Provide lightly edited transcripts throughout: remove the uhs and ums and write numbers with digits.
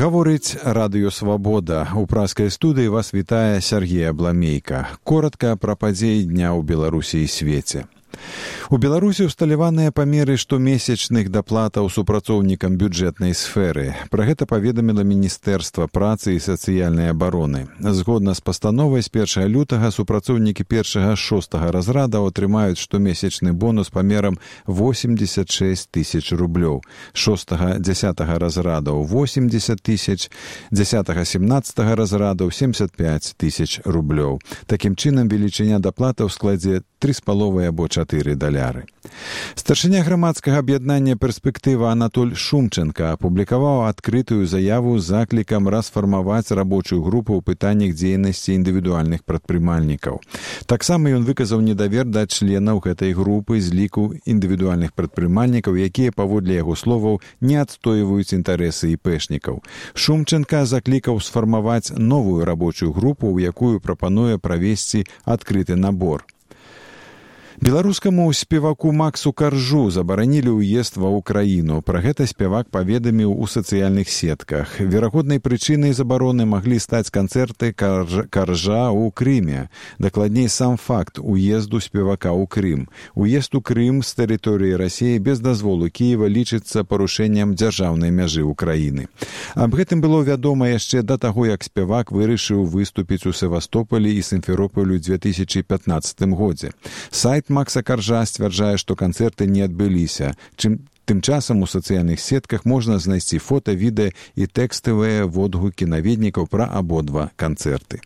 Гаворыць радыё «Свабода». У праскай студыі вас вітае Сергей Абламейка. Коротка пра падзеі дня ў Беларусі і свеце. У Беларусі усталяваныя памеры штомесячных даплатаў супрацоўнікам бюджэтнай сферы. Пра гэта паведаміла Міністэрства працы і сацыяльнай абароны. Згодна з пастановай, з 1 лютага супрацоўнікі 1-6 разрадаў атрымаюць штомесячны бонус памерам 86 тысяч рублёў, 6-10 разрадаў 80 тысяч, 10-17 разрадаў 75 тысяч рублёў. Такім чынам, велічыня даплатаў складзе 3,5 або 4 даляры. Старшыня грамадскага аб'яднання «Перспектыва» Анатоль Шумченко апублікаваў адкрытую заяву з заклікам расфармаваць рабочую групу ў пытаннях дзейнасці індывідуальных прадпрымальнікаў. Таксама ён выказаў недавер да членаў гэтай групы з ліку індывідуальных прадпрымальнікаў, якія, паводле яго словаў, не адстойваюць інтарэсы іпэшнікаў. Шумченко заклікаў сфармаваць новую рабочую групу, у якую прапануе правесці адкрыты набор. Беларускаму спеваку Максу Каржу забаранілі ўезд ва ўкраіну. Пра гэта спевак паведаміў у сацыяльных сетках. Верагоднай прычынай забароны маглі стаць канцэрты Каржа ў Крыме. Дакладней, сам факт уезду спевака ў Крым. Уезд у Крым з тэрыторыі Расіі без дазволу Кіева лічыцца парушэннем дзяржаўнай мяжы ўкраіны. Аб гэтым было вядома яшчэ да таго, як спевак вырашыў выступіць у Севастополі і Сімферополі ў 2015 годзе. Сайт Макса Каржа сцвярджае, што канцэрты не адбыліся. Тым часам у сацыяльных сетках можна знайсці фота, відэа і тэкставыя водгукі наведнікаў пра абодва канцэрты.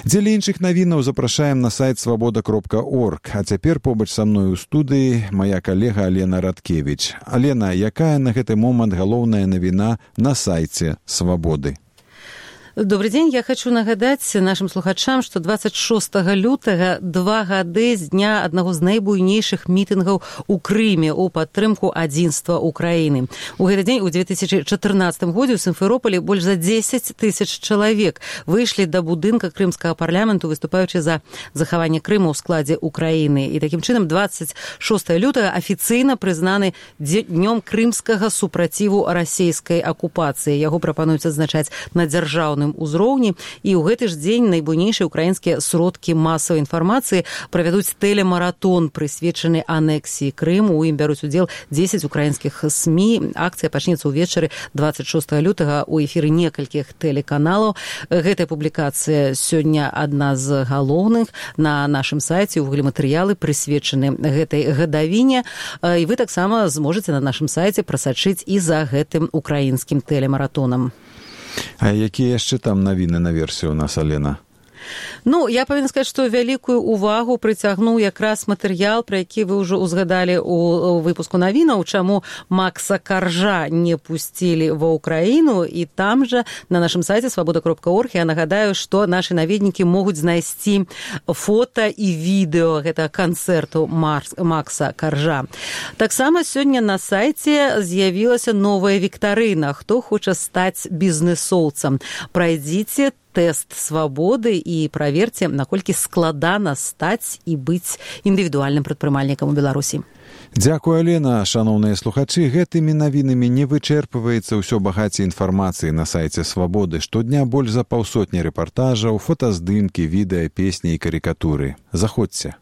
Дзеля іншых навінаў запрашаем на сайт свабода.орг. А цяпер побач са мной у студыі мая калега Алена Радкевіч. Алена, якая на гэты момант галоўная навіна на сайце «Свабоды»? Добрый день. Я хочу нагадаць нашим слухачам, што 26 лютага 2 гады з дня аднаго з найбуйнейшых мітынгаў у Крыме у падтрымку адзінства Украіны. У гэты дзень у 2014 годзе ў Сімферополі больш за 10 тысяч чалавек выйшлі да будынка крымскага парламенту, выступаючы за захаванне Крыма ў складзе Украіны. І такім чынам 26 лютага афіцыйна прызнаны днём крымскага супраціву расійскай акупацыі. Яго прапануюць адзначаць на дзяржаўным узроўні, і ў гэты ж дзень найбуйнейшыя украінскія сродкі масавай інфармацыі правядуць тэлемаратон, прысвечаны анексіі Крыму. У ім бяруць удзел 10 украінскіх СМІ. Акцыя пачнецца ўвечары 26 лютага ў эфіры некалькіх тэлеканалаў. Гэтая публікацыя сёння адна з галоўных на нашым сайце. Увогуле матэрыялы прысвечаны гэтай гадавіне. І вы таксама зможаце на нашым сайце прасачыць і за гэтым украінскім тэлемаратонам. А якія яшчэ там навіны на версію у нас, Алена? Ну, я павінна сказаць, што вялікую увагу прыцягнуў якраз матэрыял, пра які вы ўжо узгадалі ў выпуску навінаў, чаму Макса Каржа не пусцілі ва ўкраіну. І там жа на нашым сайце свабода.орг я нагадаю, што нашы наведнікі могуць знайсці фота і відэо гэтага канцэрту Макса Каржа. Таксама сёння на сайце з'явілася новая віктарына. Хто хоча стаць бізнесоўцам? Прайдзіце тэст свабоды і праверце, наколькі складана стаць і быць індывідуальным прадпрымальнікам у Беларусі. Дзякуй, Алена. Шаноўныя слухачы, гэтымі навінамі не вычэрпваецца ўсё багацце інфармацыі на сайце «Свабоды». Штодня больш за 150 рэпартажаў, фотаздымкі, відэа, песні і карыкатуры. Заходзьце.